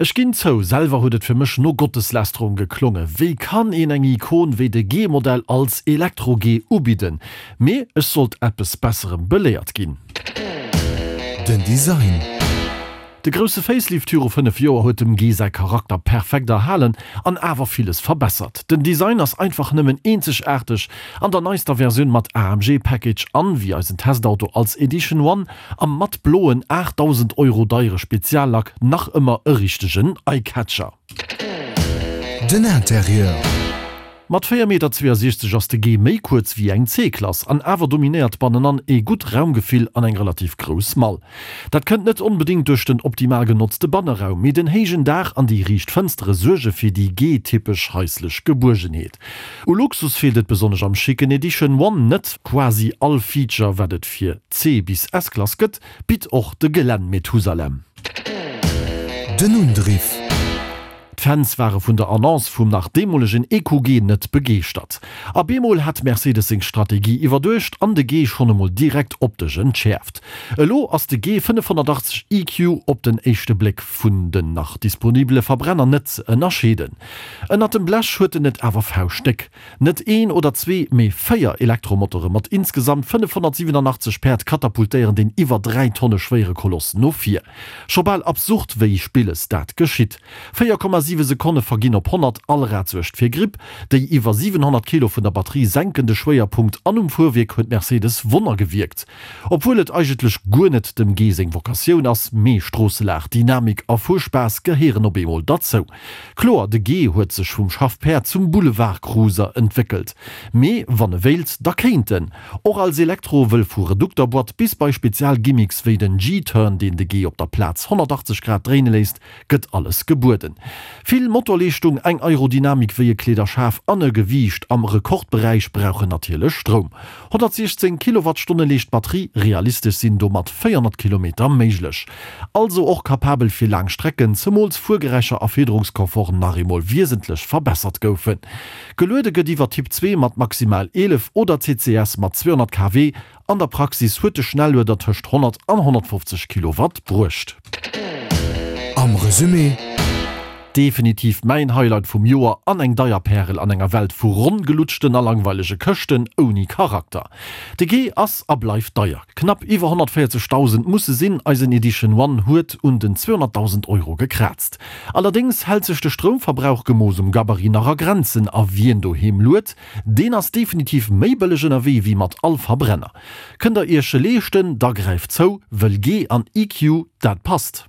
Ech ginn zou, selwer huet et fir mech no Gotteslästerung geklonge. Wéi kann een eng Ikon wéi de G-Modell als Elektro-G ubidden? Mee ech sollt eppes Besserem beléiert ginn. Den Design. De grousse Facelift viru 5 Joer huet dem G säi Charakter perfekt erhalen an awer villes verbessert. Den Design ass einfach nëmmen eenzegaarteg an der neister Versioun mat AMG Package an, wéi eisen Testauto als Edition One am matt bloen 8.000 Euro deiere Speziallack nach ëmmer e richtegen Eyecatcher. Den Interieur. Mat 4 Meter 62 ass de G méi kuerz wéi eng C-Klass an awer dominéiert bannenan ee gutt Raumgefill an eng relativ grouss Mall. Dat kënnt net onbedéngt duerch den optimal genotzte Banneraum, mee den héijen Daach an déi riicht Fënstere suerge fir déi G-typesch haislech Gebuergenheet. U Luxus feelt et besonnesch am schicken Edition One net. Quasi all Feature wat et fir C bis S-Klass gëtt, bitt och de Gelänn Methusalem. Den Undriff. D'Fans ware vun der Annonce vum nach deemolegen EQG net begeeschtert. A bemol hat Mercedes seng Strategie iwwerduecht an de G schonn emol direkt optesch entschäerft. Elo ass de G 580 EQ op den éischte Bléck vun den nach disponibele Verbrenner net ze ënnerscheeden. Ënnert dem Blech huet en et awer fauschtdéck. Net een oder zwee, mee 4 Elektromotore mat insgesamt 587 Päerd katapultéieren deen iwwer 3 Tonne schwéiere Koloss no vir. Scho bal absurd, wéi spilles dat geschitt. 4,7 Sekonne verginn op 100, all Rad suergt fir Gripp. Déi iwwer 700 Kilo vun der Batterie senken de Schwéierpunkt an um Fuerwierk huet Mercedes Wonner gewierkt. Obwuel et eigentlech guer net dem G seng Vokatioun ass, mee Stroosselag, Dynamik a Fuerspaass gehéieren op eemol derzou. Kloer, de G huet sech vum Schaffpäerd zum Boulevardcruiser entwéckelt. Mee wann e wéilt, da kéint en och als Elektro, wëll vu Redukterboîte bis bei Spezialgimmicks wéi den G-Turn, deen de G op der Plaz 180 Grad dréine léisst, gëtt alles gebueden. Vill Motorleeschtung, eng Aerodynamik wéi e Kleederschaf an e Gewiicht am Rekordberäich brauchen natierlech Stroum. 116 Kilowattstonne leescht d'Batterie, realistesch sinn domat 400 Kilometer méiglech. Also och kapabel fir laang Strecken, zemools Fuergeräischer a Fiederungskomfort nach eemol wiesentlech verbessert goufen. Geluede gëtt iwwer Typ 2 mat maximal 11 oder CCS mat 200 kW. An der Praxis huet de Schnellueder tëscht 100 an 150 Kilowatt bruecht. Am Resumé. Definitiv mäin Highlight vum Joer an eng deier Pärel an enger Welt vu ronn gelutschten a langweilege Këschten ouni Charakter. De G ass a bleift deier, knapp iwwer 140.000 musse sinn, eisen Edition One huet un den 200.000 Euro gekraazt. Allerdéngs hält sech de Stroumverbrauch gemooss um Gabarit nach a Grenzen a wien doheem luet, deen ass definitiv méi bëlleg ënnerwee wéi mat all Verbrenner. Kënnt der iech e leeschten, da gräift zou, wëll G an EQ, dat passt.